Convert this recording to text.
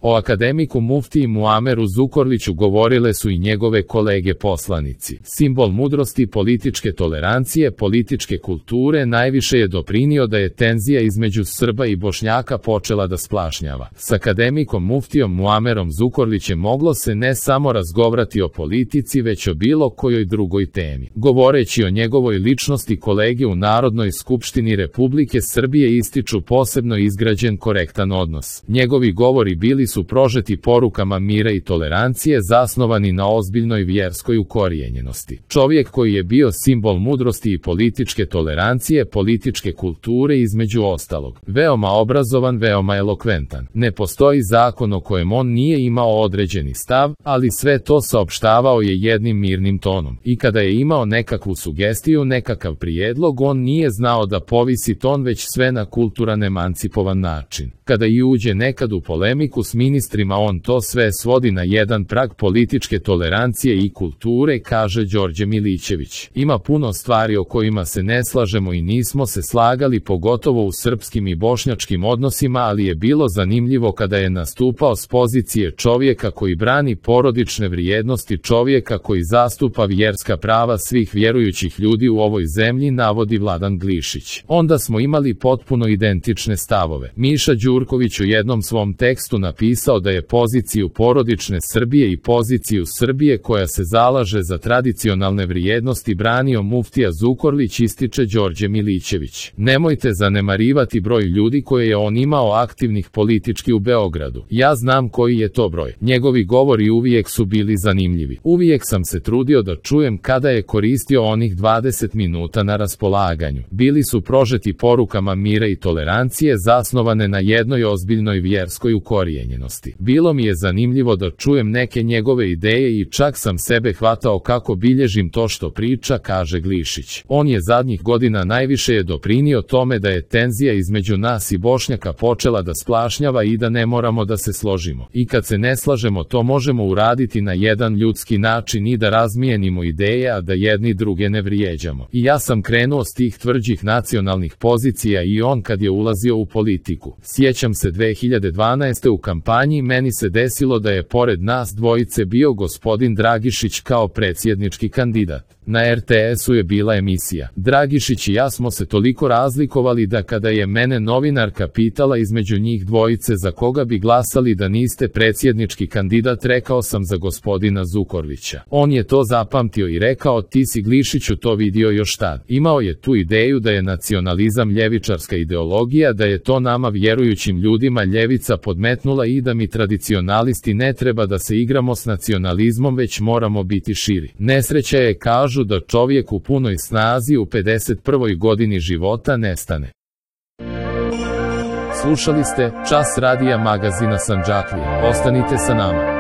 O akademiku muftiji Muameru Zukorliću govorile su i njegove kolege poslanici. Simbol mudrosti, političke tolerancije, političke kulture najviše je doprinio da je tenzija između Srba i Bošnjaka počela da splašnjava. S akademikom muftijom Muamerom Zukorlićem moglo se ne samo razgovarati o politici, već o bilo kojoj drugoj temi. Govoreći o njegovoj ličnosti, kolege u Narodnoj skupštini Republike Srbije ističu posebno izgrađen korektan odnos. Njegovi govori bili su prožeti porukama mira i tolerancije, zasnovani na ozbiljnoj vjerskoj ukorijenjenosti. Čovjek koji je bio simbol mudrosti i političke tolerancije, političke kulture između ostalog. Veoma obrazovan, veoma elokventan. Ne postoji zakon o kojem on nije imao određeni stav, ali sve to saopštavao je jednim mirnim tonom. I kada je imao nekakvu sugestiju, nekakav prijedlog, on nije znao da povisi ton, već sve na kulturan, emancipovan način. Kada i uđe nekad u polemiku s ministrima, on to sve svodi na jedan prag političke tolerancije i kulture, kaže Đorđe Milićević. Ima puno stvari o kojima se ne slažemo i nismo se slagali, pogotovo u srpskim i bošnjačkim odnosima, ali je bilo zanimljivo kada je nastupao s pozicije čovjeka koji brani porodične vrijednosti, čovjeka koji zastupa vjerska prava svih vjerujućih ljudi u ovoj zemlji, navodi Vladan Glišić. Onda smo imali potpuno identične stavove. Miša Đurković u jednom svom tekstu napisao da je poziciju porodične Srbije i poziciju Srbije koja se zalaže za tradicionalne vrijednosti branio muftija Zukorlić, ističe Đorđe Milićević. Nemojte zanemarivati broj ljudi koje je on imao aktivnih politički u Beogradu. Ja znam koji je to broj. Njegovi govori uvijek su bili zanimljivi. Uvijek sam se trudio da čujem kada je koristio onih 20 minuta na raspolaganju. Bili su prožeti porukama mira i tolerancije, zasnovane na jednoj ozbiljnoj vjerskoj ukorijenjenosti. Bilo mi je zanimljivo da čujem neke njegove ideje i čak sam sebe hvatao kako bilježim to što priča, kaže Glišić. On je zadnjih godina najviše je doprinio tome da je tenzija između nas i Bošnjaka počela da splašnjava i da ne moramo da se složimo. I kad se ne slažemo, to možemo uraditi na jedan ljudski način i da razmijenimo ideje, a da jedni druge ne vrijeđamo. I ja sam krenuo s tih tvrđih nacionalnih pozicija i on kad je ulazio u politiku. Sjećam se 2012. u kampanji meni se desilo da je pored nas dvojice bio gospodin Dragišić kao predsjednički kandidat. Na RTS-u je bila emisija. Dragišić i ja smo se toliko razlikovali da kada je mene novinarka pitala između njih dvojice za koga bi glasali da niste predsjednički kandidat, rekao sam za gospodina Zukorlića. On je to zapamtio i rekao, ti si Glišiću to vidio još tad. Imao je tu ideju da je nacionalizam ljevičarska ideologija, da je to nama vjerujućim ljudima ljevica podmetnula i da mi tradicionalisti ne treba da se igramo s nacionalizmom, već moramo biti širi. Nesreća je, kažu, da čovjek u punoj snazi u 51. godini života nestane. Slušali ste Čas radija magazina Sandžaklija. Ostanite sa nama.